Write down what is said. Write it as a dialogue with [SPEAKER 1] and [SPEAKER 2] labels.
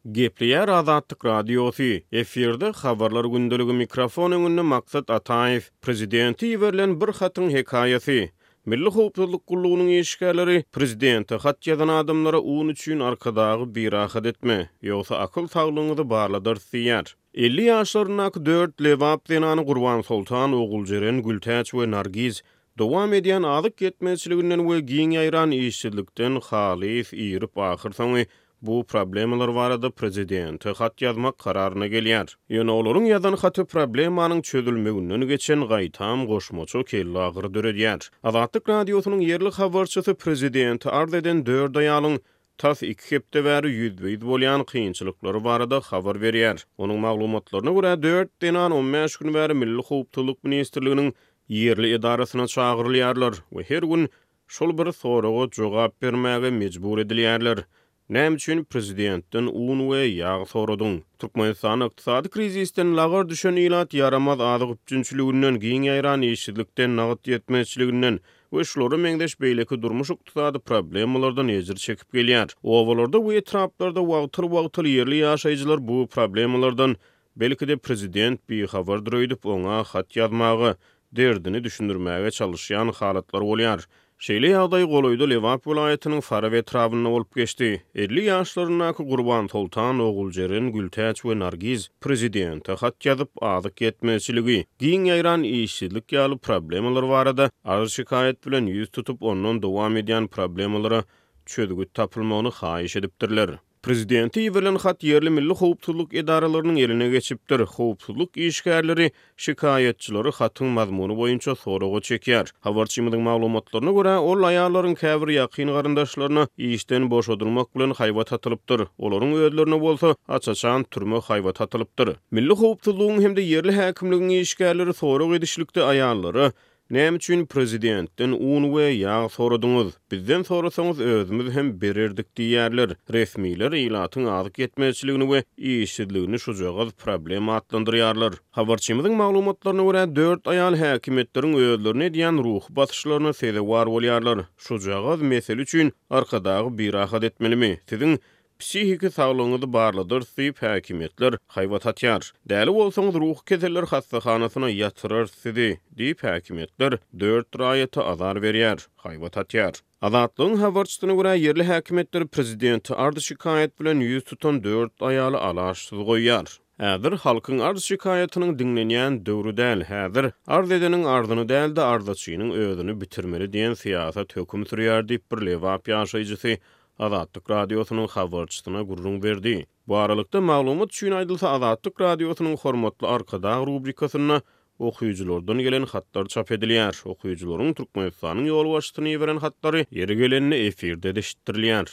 [SPEAKER 1] Gepleýär Azatlyk Radiosy, Efirde Habarlar gündeligi mikrofon öňünde Maksat Ataýew. Prezidente iberilen bir hatyň hekaýasy. Milli howpsuzlyk gullugynyň işgärleri prezidente hat ýazan adamlara un üçin Arkadagy birahat etme, ýogsa akyl saglygyňyzy barladarys diýýär. 50 ýaşlaryndaky dört lebap zenany Gurbansoltan, Oguljeren, Gültäç we Nargiz dowam edýän azyk ýetmezçiliginden we giň ýaýran işsizlikden halys irip ahyrsoňy bu problemalar barada prezidente hat ýazmak kararyna gelýär. Ýöne olaryň ýazan haty problemanyň çözülmeginden geçen gaýtam goşmaça kellagyry döredýär. Azatlyk Radiosynyň ýerli habarçysy prezidente arz eden dört aýalyň tas iki hepde bäri ýüzbe-ýüz bolýan kynçylyklary barada habar berýär. Onuň maglumatlaryna görä, dört zenan on bäş gün bäri Milli howpsuzlyk ministrliginiň ýerli edarasyna çagyrylýarlar we her gün şol bir soraga jogap bermäge mejbur edilýärler, Näme üçin prezidentden un we ýag soradyň? Türkmenistanda ykdysady krizisden lagar düşen ilat ýaramaz azyk üpjünçiliginden, giň ýaýran işsizlikden, nagt ýetmezçiliginden we şulara meňzeş beýleki durmuş-ykdysady problemalardan ejir çekip gelýär. Obalarda we etraplarda wagtal-wagtal ýerli ýaşaýjylar bu problemalardan Belki-de prezident bihabardyr öýdüp oňa hat ýazmaga, derdini düşündirmäge çalyşýan halatlar bolýar. Şeýle ýagdaý golaýda Lebap welaýatynyň Farap etrabynda bolup geçdi. 50 ýaşlaryndaky Gurbansoltan, Oguljeren, Gültäç we Nargiz prezidente hat ýazyp, azyk ýetmezçiligi, giň ýaýran işsizlik ýaly problemalar barada arz-şikaýat bilen ýüz tutup, ondan dowam edýän problemalara çözgüt tapylmagyny haýyş edipdirler. Prezidente iberilen hat ýerli milli howpsuzlyk edaralarynyň eline geçipdir. Howpsuzlyk işgärleri şikaýatçylary hatyň mazmuny boýunça soraga çekýär. Habarçymyzyň maglumatlaryna görä, ol aýallaryň käbir ýakyn garyndaşlaryna işden boşadylmak bilen haýbat atylypdyr, olaryň özlerine bolsa aç-açan türme haýbaty atylypdyr. Milli howpsuzlygyň hem-de ýerli häkimligiň işgärleri sorag edişlikde aýallara Näme üçin prezidentden un we ýag soradyňyz? Bizden sorasaňyz özümiz hem bererdik diýýärler. Resmiler ilatyň azyk ýetmezçiligini we işsizligini şujagaz problema atlandyrýarlar. Habarçymyzyň maglumatlaryna görä, dört aýal häkimiýetleriň özlerine edýän ruhy basyşlaryna sezewar bolýarlar. Şujagaz mesele üçin Arkadagy birahat etmelimi? Siziň Psihiki saglygyňyzy barladarys diýip, häkimiýetler haýbat atýar. Däli bolsaňyz, ruhy keseller hassahanasyna ýatyrarys sizi diýip, häkimiýetler dört raýata azar berýär, haýbat atýar. Azatlygyň habarçysyna görä, ýerli häkimiýetler prezidente arz-şikaýat bilen ýüz tutan dört aýaly alaçsyz goýýar. Häzir halkyň arz-şikaýatynyň diňlenýän döwri däl, häzir arz edeniň arzyny däl-de, arzaçynyň özüni bitirmeli diýen syýasat höküm sürýär diýip, bir lebap ýaşaýjysy Azatlyk Radiosynyň habarçysyna gürrüň berdi. Bu aralykda, maglumat üçin aýdylsa, Azatlyk Radiosynyň Hormatly Arkadag rubrikasynda okyjylardan gelen hatlar çap edilýär. Okyjylaryň Türkmenistanyň ýolbaşçysyna iberen hatlary ýeri gelende efirde-de eşitdirilýär.